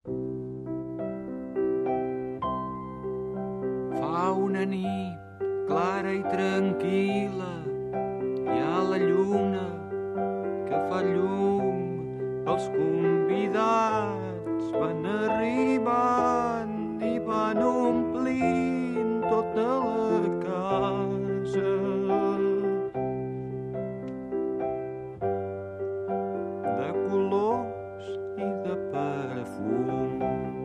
Fa una nit clara i tranquil·la, hi ha la lluna que fa llum, els convidats van arribant i van omplint tota la casa. De colors i de perfum.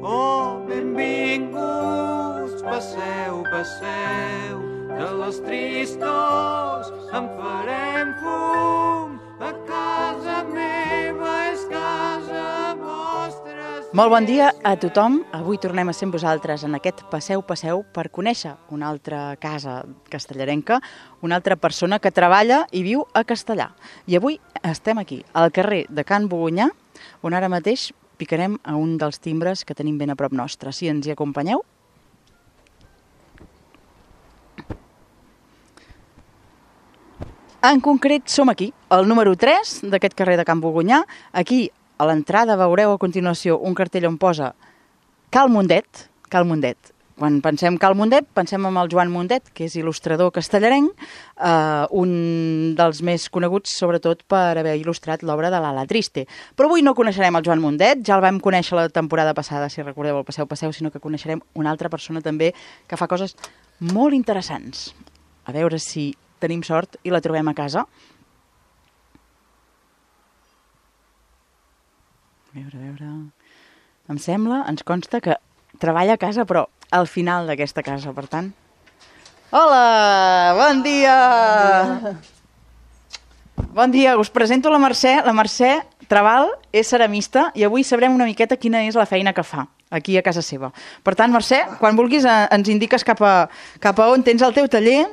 Oh, benvinguts, passeu, passeu, de les tristors en farem fum. A casa meva és casa vostra. Molt bon dia a tothom. Avui tornem a ser amb vosaltres en aquest Passeu, Passeu per conèixer una altra casa castellarenca, una altra persona que treballa i viu a Castellar. I avui estem aquí, al carrer de Can Bogonyà, on ara mateix picarem a un dels timbres que tenim ben a prop nostre. Si ens hi acompanyeu? En concret som aquí, al número 3 d'aquest carrer de Can Bogonyà. Aquí, a l'entrada, veureu a continuació un cartell on posa Cal Mundet. Cal Mundet. Quan pensem Cal Mundet, pensem en el Joan Mundet, que és il·lustrador castellarenc, un dels més coneguts, sobretot, per haver il·lustrat l'obra de l'Ala Triste. Però avui no coneixerem el Joan Mundet, ja el vam conèixer la temporada passada, si recordeu el Passeu, Passeu, sinó que coneixerem una altra persona també que fa coses molt interessants. A veure si tenim sort i la trobem a casa. A veure... Em sembla, ens consta que treballa a casa, però al final d'aquesta casa, per tant. Hola, bon dia! Bon dia, us presento la Mercè. La Mercè Trabal és ceramista i avui sabrem una miqueta quina és la feina que fa aquí a casa seva. Per tant, Mercè, quan vulguis ens indiques cap a on tens el teu taller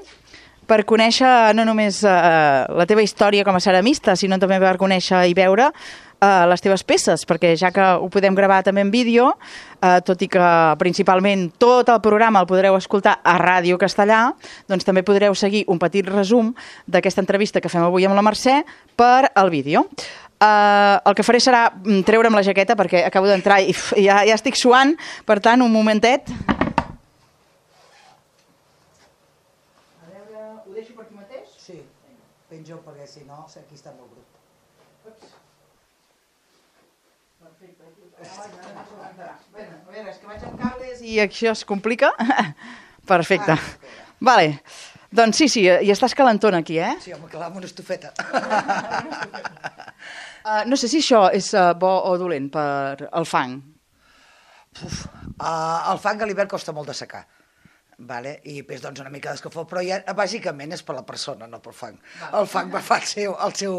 per conèixer no només la teva història com a ceramista, sinó també per conèixer i veure les teves peces, perquè ja que ho podem gravar també en vídeo, tot i que principalment tot el programa el podreu escoltar a Ràdio Castellar, doncs també podreu seguir un petit resum d'aquesta entrevista que fem avui amb la Mercè per al vídeo. El que faré serà treure'm la jaqueta perquè acabo d'entrar i ja estic suant, per tant, un momentet. Ho deixo per aquí mateix? Sí, penjo perquè si no, aquí està molt brut. Perfecte. Bueno, a veure, és que vaig amb cables i això es complica. Perfecte. Vale. Doncs sí, i estàs calentona aquí, eh? Sí, home, clar, amb una estufeta. No sé si això és bo o dolent per al fang. El fang a l'hivern costa molt de secar. Vale? I després doncs una mica d'escalfor, però ja bàsicament és per la persona, no pel fang. El fang va fer el seu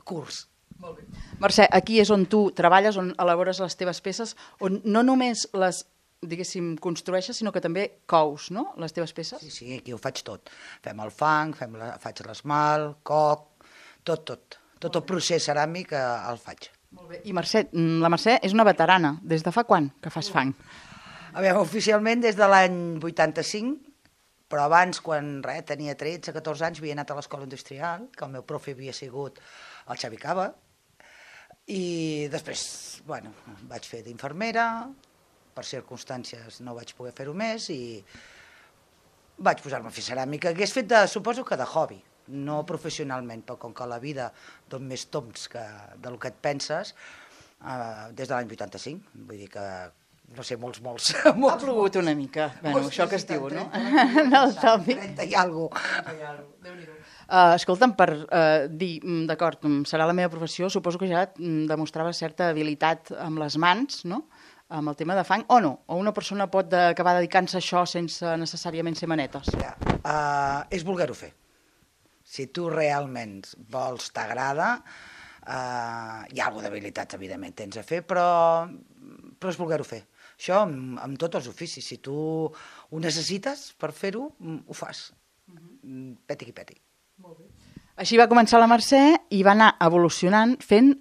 curs. Molt bé. Mercè, aquí és on tu treballes, on elabores les teves peces, on no només les, diguéssim, construeixes, sinó que també cous, no?, les teves peces? Sí, aquí ho faig tot. Fem el fang, faig l'esmalt, coc, tot el procés ceràmic el faig. Molt bé. I Mercè, la Mercè és una veterana. Des de fa quan que fas fang? A veure, oficialment des de l'any 85, però abans, quan tenia 13-14 anys, havia anat a l'escola industrial, que el meu profe havia sigut el Xavi Cava, i després, bueno, vaig fer d'infermera, per circumstàncies no vaig poder fer-ho més, i vaig posar-me a fer ceràmica. Hagués fet, suposo que de hobby, no professionalment, però com que la vida dona més toms del que et penses, des de l'any 85, vull dir que no sé, molts. Ha plogut una mica, bueno, això que es diu, no? 30 i alguna cosa. Déu-n'hi-do. Escolta'm, per dir, d'acord, serà la meva professió, suposo que ja demostrava certa habilitat amb les mans, no?, amb el tema de fang, o no? O una persona pot acabar dedicant-se a això sense necessàriament ser manetes? És voler-ho fer. Si tu realment vols, t'agrada, hi ha alguna d'habilitats, evidentment, tens a fer, però és voler-ho fer. Això amb tots els oficis. Si tu ho necessites per fer-ho, ho fas. Peti qui peti. Molt bé. Així va començar la Mercè i va anar evolucionant fent,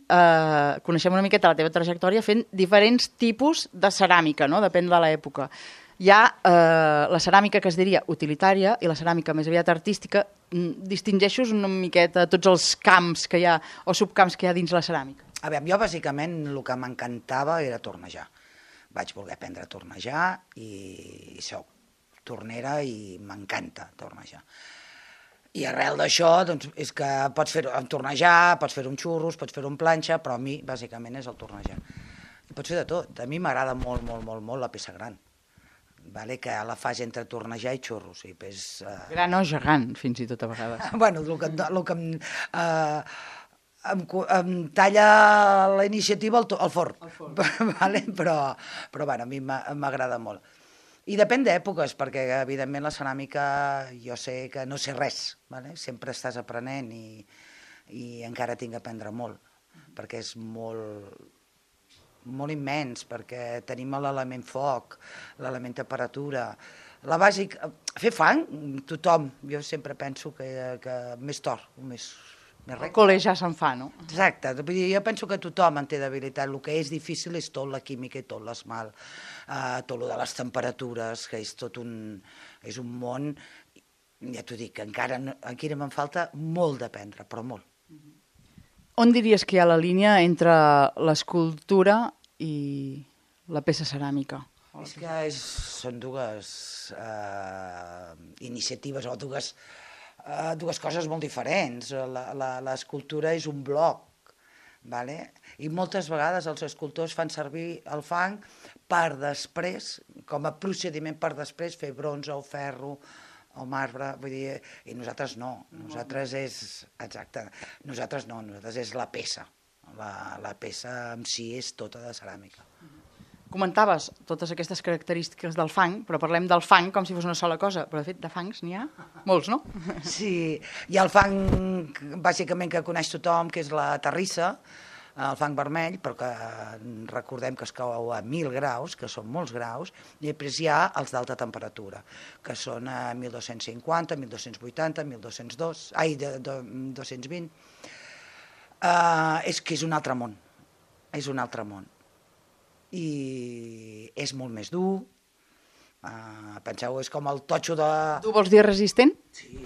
coneixem una miqueta la teva trajectòria, fent diferents tipus de ceràmica, no? Depèn de l'època. Hi ha la ceràmica que es diria utilitària i la ceràmica més aviat artística. Distingeixos una miqueta tots els camps que hi ha o subcamps que hi ha dins la ceràmica? A veure, jo bàsicament el que m'encantava era tornejar. vaig voler aprendre a tornejar i soc tornera i m'encanta tornejar. I arrel d'això, doncs, és que pots fer-ho amb tornejar, pots fer-ho amb xurros, pots fer-ho amb planxa, però a mi, bàsicament, és el tornejar. I pots fer de tot. A mi m'agrada molt, molt, molt, molt la peça gran, vale? Que la fas entre tornejar i xurros. I pues, Gran o gegant, fins i tot a vegades. Bueno, el que em talla la iniciativa el forn. Vale? Però bueno, a mi m'agrada molt. I depèn d'èpoques, perquè evidentment la ceràmica jo sé que no sé res, vale? Sempre estàs aprenent i encara tinc a aprendre molt, perquè és molt immens, perquè tenim l'element foc, l'element temperatura, la bàsica... Fer fang, tothom, jo sempre penso que més tort, més El col·le ja se'n fa, no? Exacte, vull dir, jo penso que tothom en té d'habilitat, el que és difícil és tot la química i tot l'esmalt, tot el de les temperatures, que és tot és un món, ja t'ho dic, encara aquí me'n falta molt d'aprendre, però molt. On diries que hi ha la línia entre l'escultura i la peça ceràmica? És que són dues iniciatives o dues coses molt diferents. L'escultura és un bloc, vale? I moltes vegades els escultors fan servir el fang per després, com a procediment per després, fer bronze o ferro o marbre, vull dir, i nosaltres no, nosaltres és la peça, la peça en si és tota de ceràmica. Comentaves totes aquestes característiques del fang, però parlem del fang com si fos una sola cosa, però de fet de fangs n'hi ha molts, no? Sí, hi ha el fang bàsicament que coneix tothom, que és la terrissa, el fang vermell, però que recordem que es cau a 1.000 graus, que són molts graus, i després hi ha els d'alta temperatura, que són a 1.250, 1.280, 220. És que és un altre món, i és molt més dur. Penseu, és com el totxo de... Tu vols dir resistent? Sí,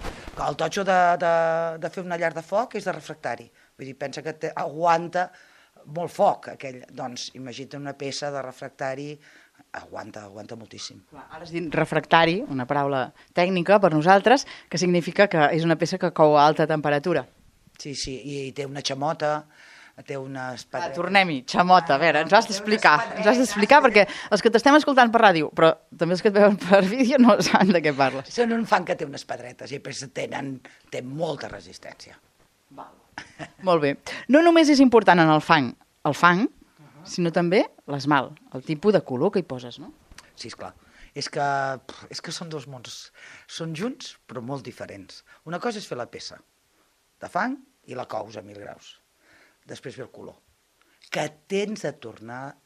el totxo de fer una llar de foc és de refractari. Vull dir, pensa que aguanta molt foc, aquell. Doncs imagina't una peça de refractari, aguanta moltíssim. Ara has dit refractari, una paraula tècnica per nosaltres, que significa que és una peça que cou a alta temperatura. Sí, i té una xamota, té unes pedretes... Tornem-hi, xamota, a veure, ens has d'explicar, perquè els que t'estem escoltant per ràdio, però també els que et veuen per vídeo no saben de què parles. Són un fang que té unes pedretes i després té molta resistència. Molt bé. No només és important en el fang, sinó també l'esmalt, el tipus de color que hi poses, no? Sí, esclar. És que són dos mons, són junts però molt diferents. Una cosa és fer la peça de fang i la cous a 1.000 graus. Després ve el color, que tens de tornar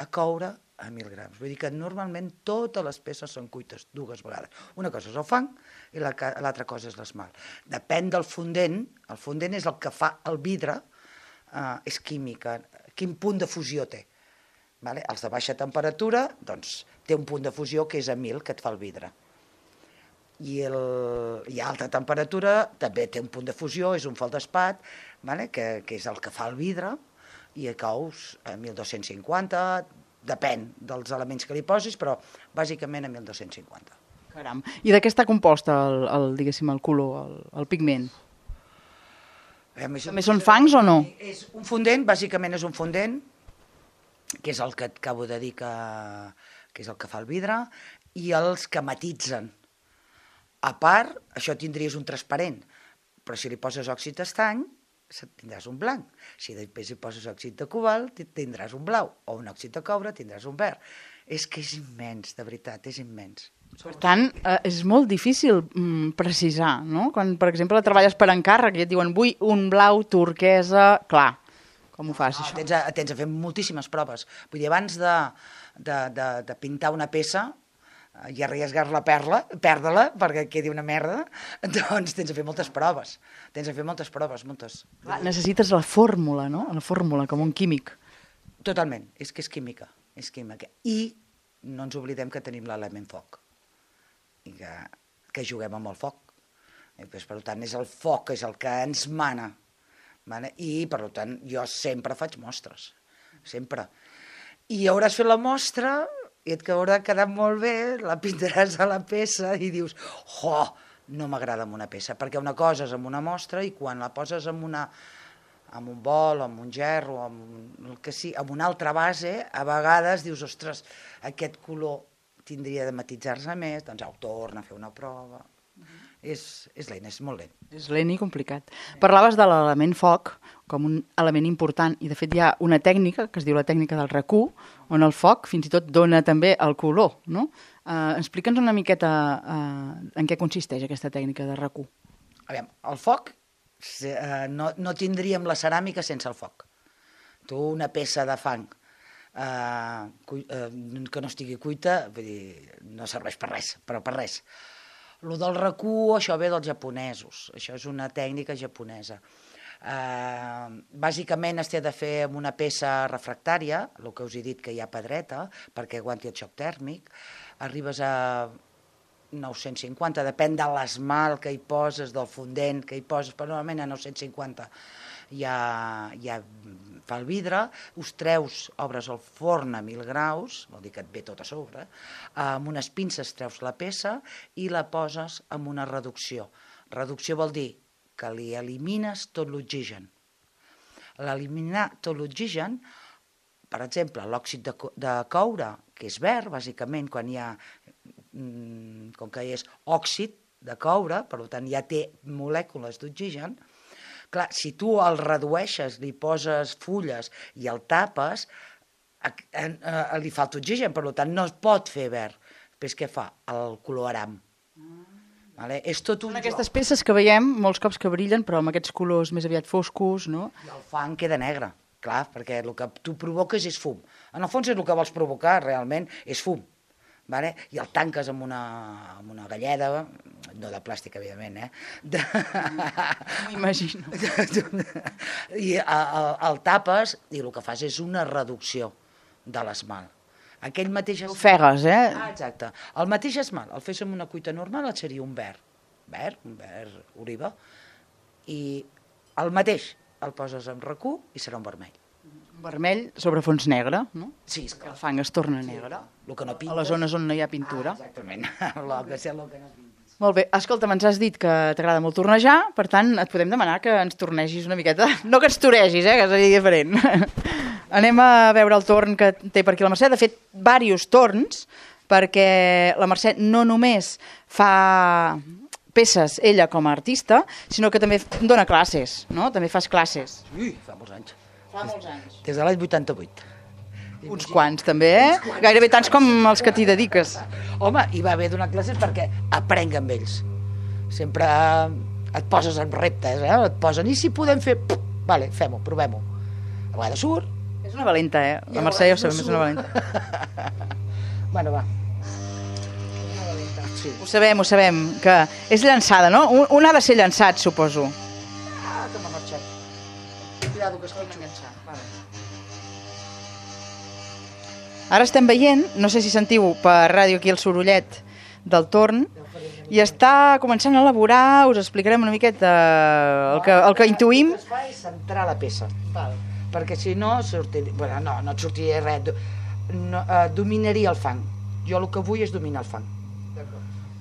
a coure a 1.000 grams. Vull dir que normalment totes les peces són cuites dues vegades. Una cosa és el fang i l'altra cosa és l'esmalt. Depèn del fondent, el fondent és el que fa el vidre, és química, quin punt de fusió té. Vale? Els de baixa temperatura, doncs, té un punt de fusió que és a 1.000, que et fa el vidre. I a alta temperatura també té un punt de fusió, és un feldespat, vale? que és el que fa el vidre, i a cous a 1.250, depèn dels elements que li posis, però bàsicament a 1.250. Caram. I de què està composta diguéssim, el color, el pigment? També són fangs o no? És un fondent, bàsicament és un fondent, que és el que et acabo de dir que és el que fa el vidre, i els que matitzen. A part, això tindries un transparent, però si li poses òxid d'estany, tindràs un blanc. Si després hi poses òxid de cobalt, tindràs un blau, o un òxid de coure, tindràs un verd. És que és immens, de veritat, és immens. Per tant, és molt difícil precisar, no? Quan, per exemple, treballes per encàrrec i et diuen vull un blau turquesa, clar, com ho fas, això? Tens de fer moltíssimes proves. Vull dir, abans de pintar una peça, i arriesgar-la a perdre-la, perquè quedi una merda, doncs tens de fer moltes proves. Moltes. Clar, necessites la fórmula, no? La fórmula, com un químic. Totalment, és que és química. I no ens oblidem que tenim l'element foc, i que juguem amb el foc. I, doncs, per tant, és el foc és el que ens mana. Vale? I, per tant, jo sempre faig mostres, sempre. I hauràs fet la mostra i et haurà quedat molt bé, la pintaràs a la peça i dius, no m'agrada amb una peça, perquè una cosa és amb una mostra i quan la poses amb un bol, amb un gerro, amb una altra base, a vegades dius, ostres, aquest color tindria de matitzar-se més, doncs ho torna a fer una prova. És lent, és molt lent. És lent i complicat. Parlaves de l'element foc com un element important i de fet hi ha una tècnica que es diu la tècnica del RACU, on el foc fins i tot dona també el color, no? Explica'ns una miqueta en què consisteix aquesta tècnica de RACU. Aviam, el foc, no tindríem la ceràmica sense el foc. Tu una peça de fang que no estigui cuita, vull dir, no serveix per res, però per res. Lo del RACU, això ve dels japonesos, això és una tècnica japonesa. Bàsicament es té de fer amb una peça refractària, el que us he dit que hi ha pedreta, perquè aguanti el xoc tèrmic, arribes a 950, depèn de l'esmalt que hi poses, del fondent que hi poses, però normalment a 950 ja fa el vidre, us treus, obres el forn a 1000 graus, vol dir que et ve tot a sobre, amb unes pinces treus la peça i la poses amb una reducció. Reducció vol dir que li elimines tot l'oxigen. L'eliminar tot l'oxigen, per exemple, l'òxid de coure, que és verd, bàsicament, quan hi ha, com que és òxid de coure, per tant ja té molècules d'oxigen, clar, si tu el redueixes, li poses fulles i el tapes, li falta oxigen, per tant no es pot fer verd. Després què fa? El color aram. És tot un joc. Són aquestes peces que veiem molts cops que brillen, però amb aquests colors més aviat foscos, no? I el fang queda negre, clar, perquè el que tu provoques és fum. En el fons és el que vols provocar, realment, és fum. I el tanques amb una galleda, no de plàstic, evidentment, m'imagino. I el tapes i el que fas és una reducció de l'esmalt. Aquell mateix... Ofegues, Exacte. El mateix esmalt, el fes amb una cuita normal, et seria un verd, oliva, i el mateix el poses amb RACU i serà un vermell. Vermell sobre fons negre, no? Sí, esclar. El fang es torna negre. A les zones on no hi ha pintura. Exactament, el que no pintes. Molt bé. Escolta, ens has dit que t'agrada molt tornejar, per tant, et podem demanar que ens tornegis una miqueta. No que ens toregis, que seria diferent. Anem a veure el torn que té per aquí la Mercè. De fet, diversos torns, perquè la Mercè no només fa peces ella com a artista, sinó que també dona classes, no? També fas classes. Ui, fa molts anys. Fa molts anys. Des de l'any 88. Uns quants, també, Gairebé tants com els que t'hi dediques. Home, hi va haver donar classes perquè aprenc amb ells. Sempre et poses en reptes, et posen, i si podem fer... Vale, fem-ho, provem-ho. A vegades surt. És una valenta, La Mercè ja ho sabem, és una valenta. Bueno, va. Sí. Ho sabem, que és llançada, no? Un ha de ser llançat, suposo. Que m'ha marxat. Cuidado, que es quitxo. Ara estem veient, no sé si sentiu per ràdio aquí el sorollet del torn, i està començant a elaborar, us explicarem una miqueta el que intuïm. El que es fa és centrar la peça, perquè si no, no et sortiria res, dominaria el fang. Jo el que vull és dominar el fang.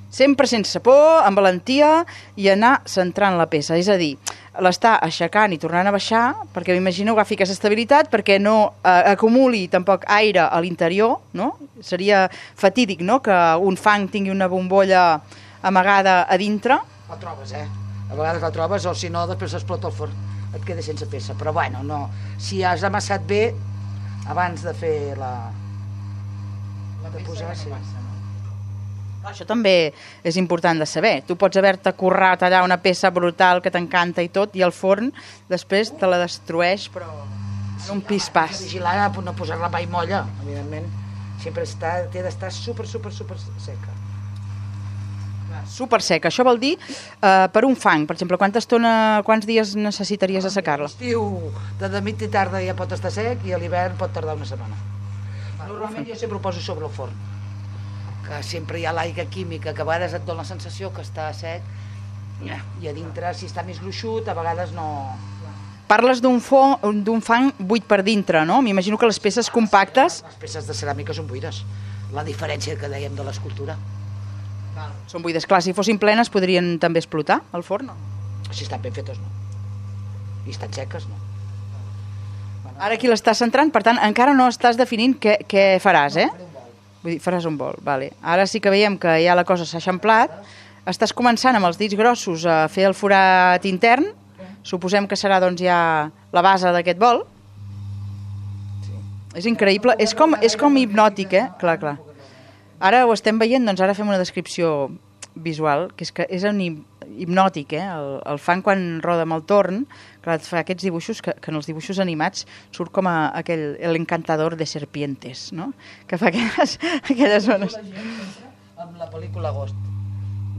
Sempre sense por, amb valentia, i anar centrant la peça, és a dir, l'està aixecant i tornant a baixar, perquè m'imagino agafi aquesta estabilitat, perquè no acumuli tampoc aire a l'interior, no? Seria fatídic, no?, que un fang tingui una bombolla amagada a dintre. La trobes, A vegades la trobes, o si no, després s'explota el forn, et queda sense peça. Però bueno, no, si has amassat bé, abans de fer de posar, sí. Això també és important de saber. Tu pots haver-te currat allà una peça brutal que t'encanta i tot, i el forn després te la destrueix, però en un pis-pas. Vigilar a no posar-la mai molla, evidentment. Sempre té d'estar super seca. Super seca. Això vol dir, per un fang, per exemple, quants dies necessitaries assecar-la? L'estiu, de mitja i tarda ja pot estar sec, i a l'hivern pot tardar una setmana. Normalment jo sempre ho poso sobre el forn, que sempre hi ha l'aigua química, que a vegades et dona la sensació que està sec, i a dintre, si està més gruixut, a vegades no... Parles d'un fang buit per dintre, no? M'imagino que les peces compactes... Les peces de ceràmica són buides. La diferència que dèiem de l'escultura. Són buides. Clar, si fossin plenes podrien també explotar al forn, no? Si estan ben fetes, no. I estan seques, no. Ara aquí l'estàs centrant, per tant, encara no estàs definint què faràs, eh? Vull dir, faràs un bol, vale. Ara sí que veiem que ja la cosa s'ha eixamplat. Estàs començant amb els dits grossos a fer el forat intern. Suposem que serà doncs ja la base d'aquest bol. Sí. És increïble, és com hipnòtic, eh? Clar, clar. Ara ho estem veient, doncs ara fem una descripció visual, que és un hipnòtic, eh? El fang quan roda amb el torn, clar, et fa aquests dibuixos que en els dibuixos animats surt com el encantador de serpientes, no? Que fa aquelles zones. Amb la pel·lícula Ghost.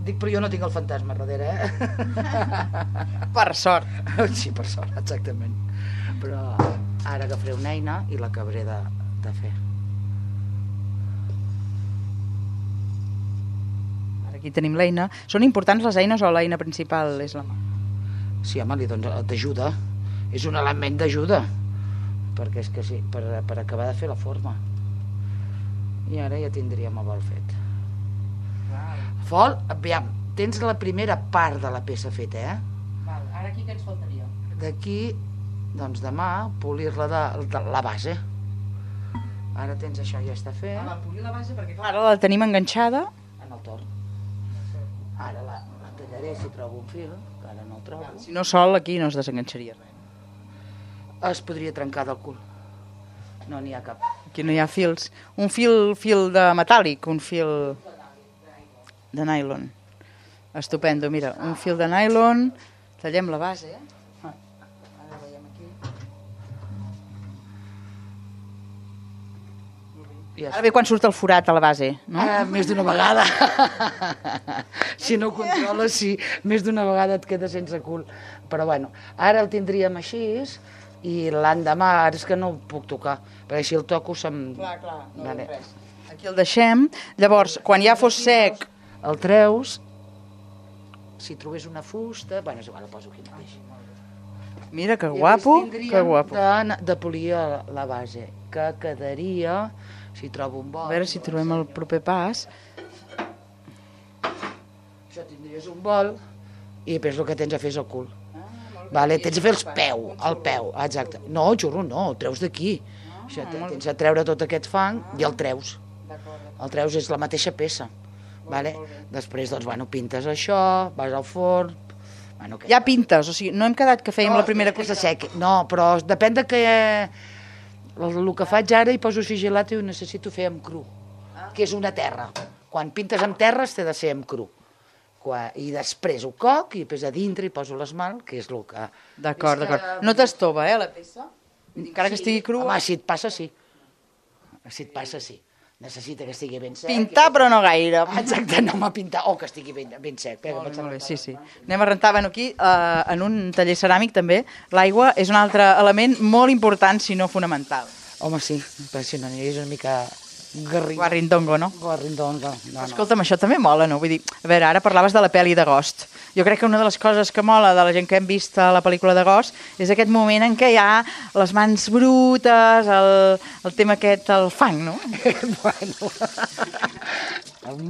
Dic, però jo no tinc el fantasma darrere, eh? Per sort. Sí, per sort, exactament. Però ara agafaré una eina i l'acabaré de fer. Aquí tenim l'eina. Són importants les eines o l'eina principal és la mà? Sí, home, t'ajuda. És un element d'ajuda. Perquè és que sí, per acabar de fer la forma. I ara ja tindríem el bol fet. Fol, aviam, tens la primera part de la peça feta, eh? Val, ara aquí què ens faltaria? D'aquí, doncs demà, polir-la de la base. Ara tens això, ja està fet. Polir la base perquè, clar, ara la tenim enganxada. En el torn. Ara la tallaré si trobo un fil, que ara no el trobo. Si no sol, aquí no es desenganxaria res. Es podria trencar del cul. No n'hi ha cap. Aquí no hi ha fils. Un fil de metàl·lic, un fil de nylon. Estupendo, mira, un fil de nylon, tallem la base. Ara veiem aquí. Ara ve quan surt el forat a la base, no? Més d'una vegada. Si no ho controles, sí, més d'una vegada et queda sense cul. Però bueno, ara el tindríem així i l'endemà, ara és que no ho puc tocar, perquè si el toco se'm... Clar, no vale. Res. Aquí el deixem. Llavors, quan ja fos sec... El treus, si trobés una fusta... Bueno, és igual, el poso aquí mateix. Mira, que guapo, que guapo. De polir la base, que quedaria... Si trobo un bol... A veure si trobem el proper pas. Això tindries un bol i després el que tens a fer és el cul. Vale, tens a fer el peu, exacte. No, xurro, no, el treus d'aquí. Tens a treure tot aquest fang i el treus. El treus és la mateixa peça. Vale? Després, doncs, bueno, pintes això, vas al forn... Bueno, ja pintes, o sigui, no hem quedat que fèiem la primera cosa. No, però depèn de què... El que faig ara hi poso sigilat i ho necessito fer amb cru, que és una terra. Quan pintes amb terres té de ser amb cru. I després ho coc i després a dintre hi poso l'esmalt, que és el que... D'acord. No t'estova, la peça? Encara que estigui crua? Home, si et passa, sí. Necessita que estigui ben sec. Pintar, però no gaire. Exacte, no m'ha pintat, o que estigui ben sec. Molt bé, sí. Anem a rentar. Bueno, aquí, en un taller ceràmic, també, l'aigua és un altre element molt important, si no fonamental. Home, sí, però si no és una mica... Guarrindongo, no? Guarrindongo, no. Escolta'm, això també mola, no? Vull dir, a veure, ara parlaves de la pel·li d'Agost. Jo crec que una de les coses que mola de la gent que hem vist a la pel·lícula d'Agost és aquest moment en què hi ha les mans brutes, el tema aquest, el fang, no? Bueno,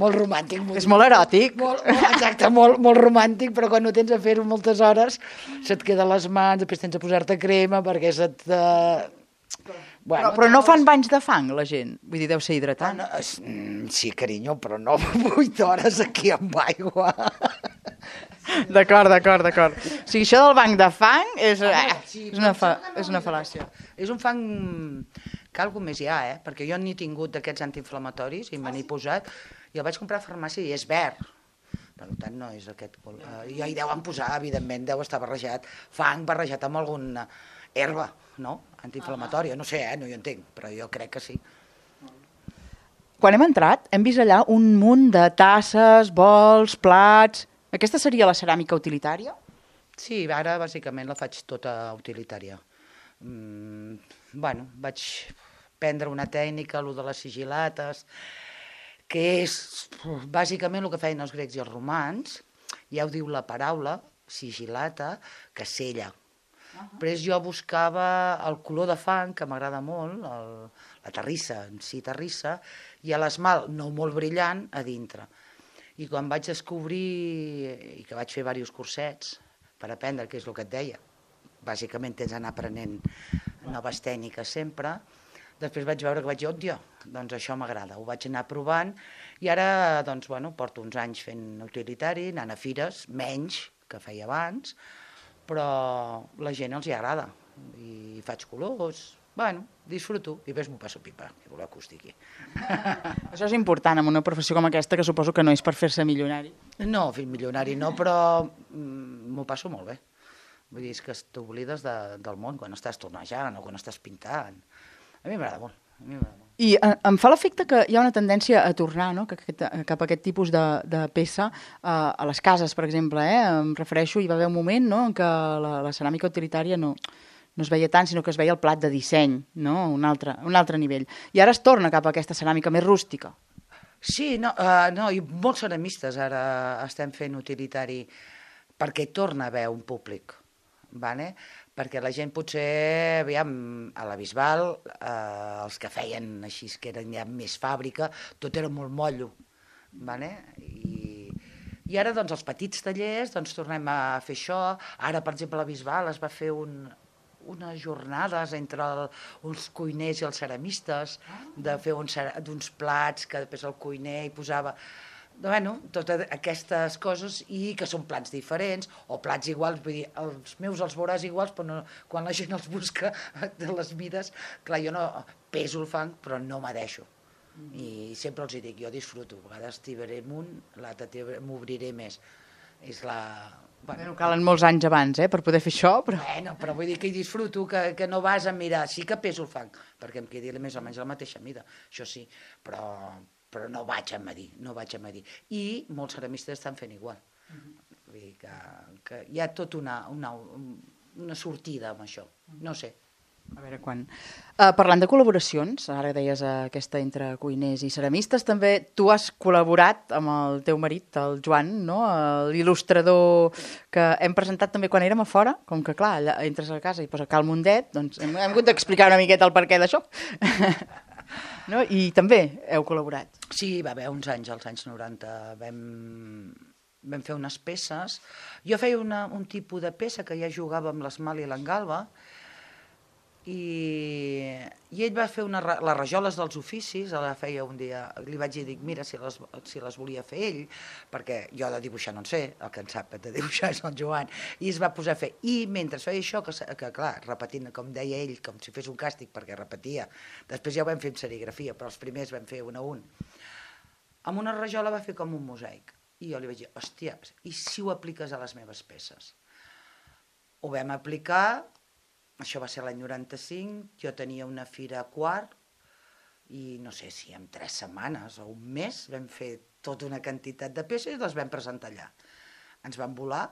molt romàntic. És molt eròtic. Exacte, molt romàntic, però quan no tens a fer-ho moltes hores se't queden les mans, després tens a posar-te crema perquè se't... Bueno, però no fan banys de fang, la gent? Vull dir, deu ser hidratant. Sí, carinyo, però no 8 hores aquí amb aigua. D'acord. O sigui, això del banc de fang és una fal·làcia. És un fang que algú més hi ha, perquè jo n'he tingut d'aquests antiinflamatoris i me n'he posat, i el vaig comprar a farmàcia i és verd. Per tant, no és aquest color. I hi deuen posar, evidentment, deu estar barrejat, fang barrejat amb alguna herba, no? Antiinflamatòria, no sé, no hi entenc, però jo crec que sí. Quan hem entrat, hem vist allà un munt de tasses, bols, plats... Aquesta seria la ceràmica utilitària? Sí, ara bàsicament la faig tota utilitària. Bueno, vaig prendre una tècnica, el de les sigilates, que és bàsicament el que feien els grecs i els romans, ja ho diu la paraula, sigilata, que sella. Després jo buscava el color de fang, que m'agrada molt, la terrissa, en si terrissa, i l'esmalt, no molt brillant, a dintre. I quan vaig descobrir, i que vaig fer diversos cursets per aprendre, que és el que et deia, bàsicament tens d'anar aprenent noves tècniques sempre, després vaig veure que vaig dir, òdio, doncs això m'agrada, ho vaig anar provant, i ara, doncs, bueno, porto uns anys fent utilitari, anant a fires, menys que feia abans, però la gent els hi agrada, i faig colors, bueno, disfruto, i després m'ho passo pipa, que voleu que us digui. Això és important en una professió com aquesta, que suposo que no és per fer-se milionari. No, fill milionari no, però m'ho passo molt bé. Vull dir, és que t'oblides del món quan estàs tornejant o quan estàs pintant. A mi m'agrada molt, a mi m'agrada molt. I em fa l'efecte que hi ha una tendència a tornar, no?, cap a aquest tipus de peça a les cases, per exemple. Em refereixo, hi va haver un moment, no?, en què la ceràmica utilitària no es veia tant, sinó que es veia el plat de disseny, no?, un altre nivell. I ara es torna cap a aquesta ceràmica més rústica. Sí, no, i molts ceramistes ara estem fent utilitari perquè torna a haver un públic, vale? Perquè la gent potser, aviam, a la Bisbal, els que feien així, que eren ja més fàbrica, tot era molt mollo, vale? I ara, doncs, els petits tallers, doncs, tornem a fer això. Ara, per exemple, a la Bisbal es va fer unes jornades entre uns cuiners i els ceramistes, de fer uns plats que després el cuiner hi posava... Bueno, totes aquestes coses, i que són plats diferents o plats iguals, vull dir, els meus els veuràs iguals, però no, quan la gent els busca de les mides, clar, jo no peso el fang, però no m'adeixo. I sempre els dic, jo disfruto, a vegades tibaré amunt, l'altre m'obriré més. És la... Bueno, calen molts anys abans, per poder fer això, però... Bueno, però vull dir que hi disfruto, que no vas a mirar, sí que peso el fang, perquè em quedi més o menys la mateixa mida, això sí, però no vaig a medir, I molts ceramistes estan fent igual. Vull dir que hi ha tot una sortida amb això, no sé. A veure quan... Parlant de col·laboracions, ara deies aquesta entre cuiners i ceramistes, també tu has col·laborat amb el teu marit, el Joan, no?, l'il·lustrador que hem presentat també quan érem a fora, com que clar, allà entres a casa i posa Cal Mundet, doncs hem hagut d'explicar una miqueta el perquè d'això. No? I també heu col·laborat. Sí, va haver uns anys, als anys 90, vam fer unes peces. Jo feia un tipus de peça que ja jugava amb l'esmalt i l'engalba, i ell va fer les rajoles dels oficis, la feia un dia, li vaig dir, mira, si les volia fer ell, perquè jo de dibuixar no en sé, el que en sap de dibuixar és el Joan, i es va posar a fer, i mentre feia això, que clar, repetint, com deia ell, com si fes un càstig, perquè repetia, després ja ho vam fer en serigrafia, però els primers vam fer un a un, amb una rajola va fer com un mosaic, i jo li vaig dir, hòstia, i si ho apliques a les meves peces? Ho vam aplicar. Això va ser l'any 95, jo tenia una fira a Quart i no sé si en 3 setmanes o un mes vam fer tota una quantitat de peces i les vam presentar allà. Ens van volar,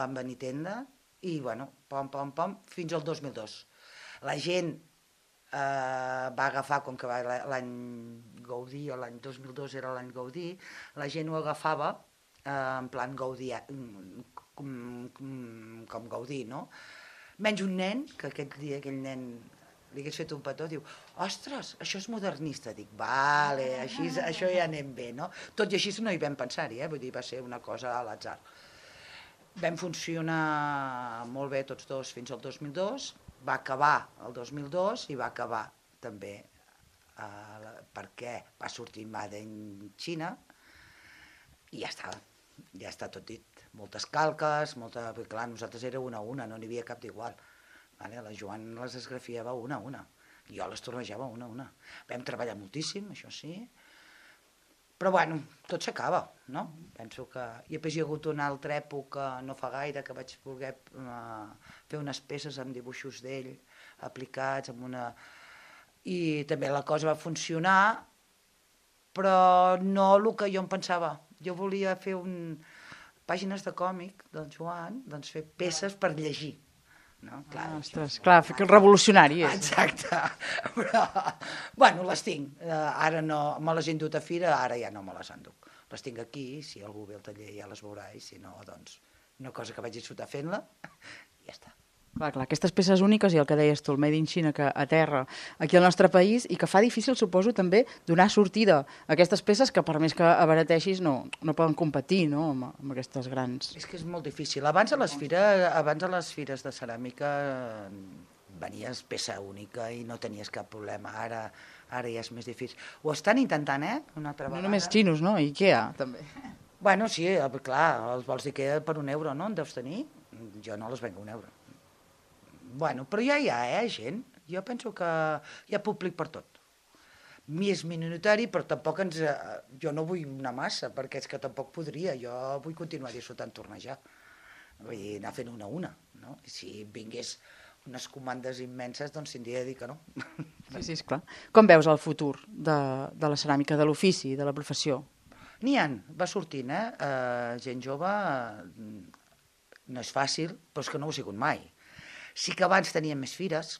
van venir tenda i, bueno, pom, pom, pom, fins al 2002. La gent va agafar, com que l'any Gaudí, o l'any 2002 era l'any Gaudí, la gent ho agafava en plan Gaudí, com Gaudí, no? Menys un nen, que aquell nen li hagués fet un petó, diu, ostres, això és modernista. Dic, vale, així, això ja anem bé, no? Tot i així no hi vam pensar-hi, vull dir, va ser una cosa a l'atzar. Vam funcionar molt bé tots dos fins al 2002, va acabar el 2002 i va acabar també perquè va sortir Made in China i ja està tot dit. Moltes calques, perquè clar, nosaltres era una a una, no n'hi havia cap d'igual. La Joan les esgrafiava una a una, i jo les tornejava una a una. Vam treballar moltíssim, això sí, però bueno, tot s'acaba, no? Penso que... I després hi ha hagut una altra època, no fa gaire, que vaig voler fer unes peces amb dibuixos d'ell, aplicats, i també la cosa va funcionar, però no el que jo em pensava. Jo volia fer pàgines de còmic del Joan, doncs fer peces per llegir. Ostres, clar, revolucionari és. Exacte, però, bueno, les tinc. Ara no, me les he endut a fira, ara ja no me les enduc. Les tinc aquí, si algú ve al taller ja les veurà, i si no, doncs, una cosa que vaig disfrutar fent-la, i ja està. Clar, aquestes peces úniques i el que deies tu, el Made in China, que aterra aquí al nostre país i que fa difícil, suposo, també donar sortida a aquestes peces que, per més que abarateixis, no poden competir, no?, amb aquestes grans. És que és molt difícil. Abans a les fires de ceràmica venies peça única i no tenies cap problema. Ara ja és més difícil. Ho estan intentant, una altra vegada. No només xinos, no? Ikea, també. Bueno, sí, clar, els vols d'Ikea per €1, no? En deus tenir? Jo no les venc €1. Bueno, però ja hi ha, gent. Jo penso que hi ha públic per tot. És minoritari, però tampoc jo no vull una massa, perquè és que tampoc podria. Jo vull continuar disfrutant tornejar. Vull dir, anar fent una a una, no? I si vingués unes comandes immenses, doncs tindria de dir que no. Sí, esclar. Com veus el futur de la ceràmica, de l'ofici, de la professió? N'hi ha, va sortint, gent jove, no és fàcil, però és que no ho ha sigut mai. Sí que abans tenien més fires,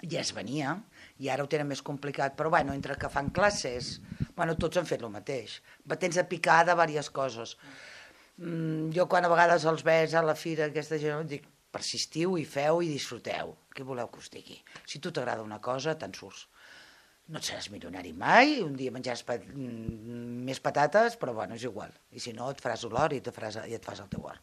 ja es venia, i ara ho tenen més complicat, però bueno, entre que fan classes, bueno, tots han fet el mateix. Tens a picar de diverses coses. Jo quan a vegades els ves a la fira, aquesta gent, dic, persistiu i feu i disfruteu. Què voleu que us digui? Si tu t'agrada una cosa, te'n surts. No et seràs milionari mai, un dia menjaràs més patates, però bueno, és igual. I si no, et faràs olor i et fas el teu or.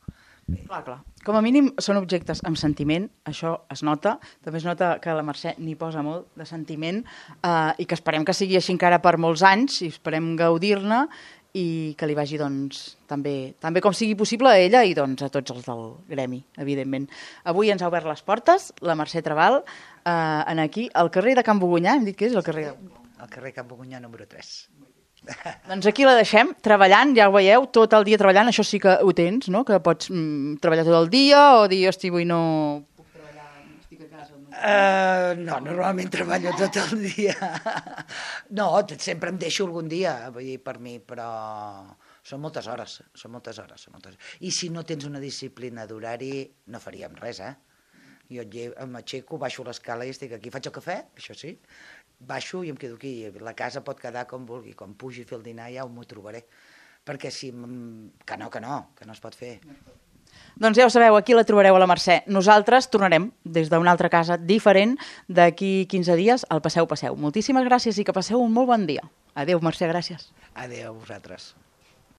Clar. Com a mínim són objectes amb sentiment, això es nota. També es nota que la Mercè n'hi posa molt de sentiment i que esperem que sigui així encara per molts anys i esperem gaudir-ne i que li vagi també com sigui possible a ella i a tots els del gremi, evidentment. Avui ens ha obert les portes la Mercè Trabal aquí, al carrer de Can Bogunyà, hem dit que és el carrer de... Al carrer Can Bogunyà número 3. Doncs aquí la deixem, treballant, ja ho veieu, tot el dia treballant, això sí que ho tens, no?, que pots treballar tot el dia o dir, hosti, avui no puc treballar, estic a casa. No, normalment treballo tot el dia. No, sempre em deixo algun dia, vull dir, per mi, però són moltes hores. I si no tens una disciplina d'horari, no faríem res, Jo m'aixeco, baixo l'escala i estic aquí, faig el cafè, això sí, baixo i em quedo aquí. La casa pot quedar com vulgui, quan pugi a fer el dinar ja m'ho trobaré. Perquè si... Que no es pot fer. Doncs ja ho sabeu, aquí la trobareu a la Mercè. Nosaltres tornarem des d'una altra casa diferent d'aquí 15 dies al Passeu. Moltíssimes gràcies i que passeu un molt bon dia. Adéu, Mercè, gràcies. Adéu a vosaltres.